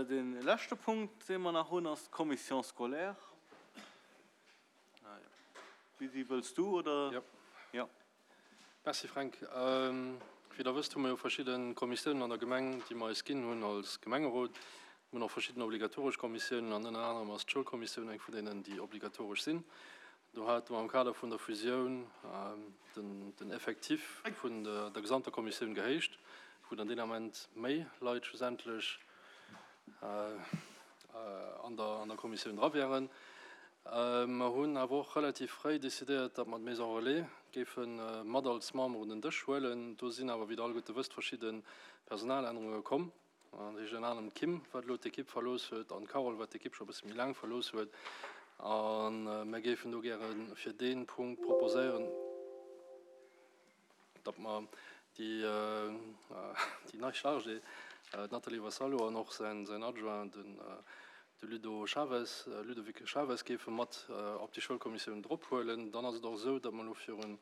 Dee leschte Punkt, dee mer nach hunn, ass d'Commission scolaire. Lisi, wëlls du oder? Jo. Jo. Merci Fränk. Wéi Der wësst, hu mer jo verschidde Kommissiounen an der Gemeng, déi mer eis ginn hunn als Gemengerot. Mir hunn och verschidden obligatoresch Kommissiounen an ënner anerem ass d'Schoulkommissioun eng vun deenen, déi obligatoresch sinn. Do hate mer am Kader vun der Fusioun den Effectif vun der gesamter Kommissioun gehéicht, wou dann deen Ament méi Leit schlussendlech an der Kommissioun dra wären. Mer hunn awer och relativ fréi decidéiert, datt mer d'Maison Relais géife mat als Member un den Dësch huelen. Do sinn awer, wéi Der alleguerte wësst, verschidde Personalännerunge komm. Dat heescht ënner anerem d'Kim, wat elo d'Ekipp verlooss huet, an d'Carole, wat d'Ekipp scho e bësse méi laang verlooss huet. A mir géifen do gäre fir dee Punkt proposéieren, datt mer déi nei Chargée, d'Nathalie Vassallo, an och säin Adjoint, de Ludo Chaves, Ludovic Chaves, géife mat op déi Schoulkommissioun drophuelen. Dann ass et och esou, datt mer elo virun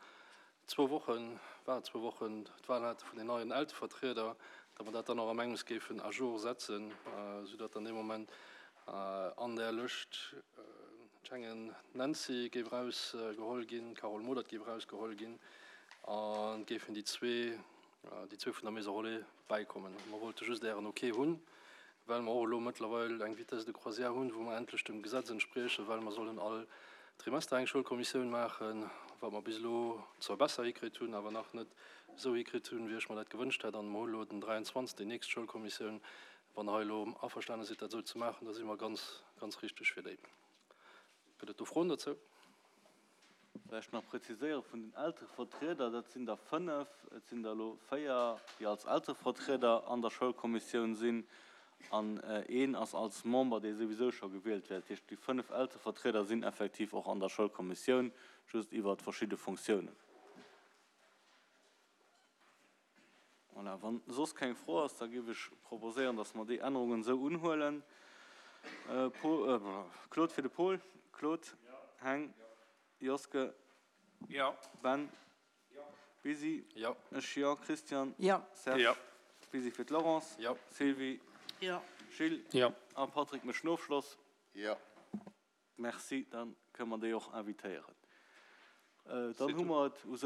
zwou Wochen, war et zwou Wochen, d'Wahl hate vun den neien Eltevertrieder, datt mer dat dann och am engems géifen à jour setzen, soudatt dann dee Moment an där Lëscht d'Schengen Nancy géif erausgeholl ginn, d'Carole Modert géif erausgeholl ginn an et géifen déi zwee, déi zwee vun der Maison Relais bäikommen. Mer wollte just Ären Ok hunn, well mer och elo mëttlerweil eng Vitesse de croisière hunn, wou mer endlech dem Gesetz entspriechen, well mer sollen all Trimester eng Schoulkommissioun maachen, wat mer bis elo zwar besser hikritt hunn, awer nach net esou hikritt hunn, wéi ech mer dat gewënscht hätt. An mer hu elo den 23. déi nächst Schoulkommissioun. Wann Der hei elo averstane sidd, dat esou ze maachen, da si mer ganz, ganz richteg fir déi. Gëtt et do Froen dozou? Vläicht nach präziséiere vun den Elterevertrieder, dat sinn der 5, et sinn der elo 4, déi als Elterevertrieder an der Schoulkommissioun sinn an een ass als Member, dee souwisou scho gewielt wär. Dat heescht, déi 5 Elterevertrieder sinn effektiv och an der Schoulkommissioun, just iwwert verschidde Fonctiounen. Voilà, wann soss keng Fro ass, da géif ech proposéieren, dass mer déi Ännerungen esou unhuelen. Paul, Claude fir de Paul. Claude? Heng? Joske? Ben? Busy? Ech jo. Christian? Serge? Busy fir d'Laurence? Sylvie? Gilles? A Patrick mécht den Ofschloss. Merci, da kënne mer déi och invitéieren. Dann hu mer et u sech.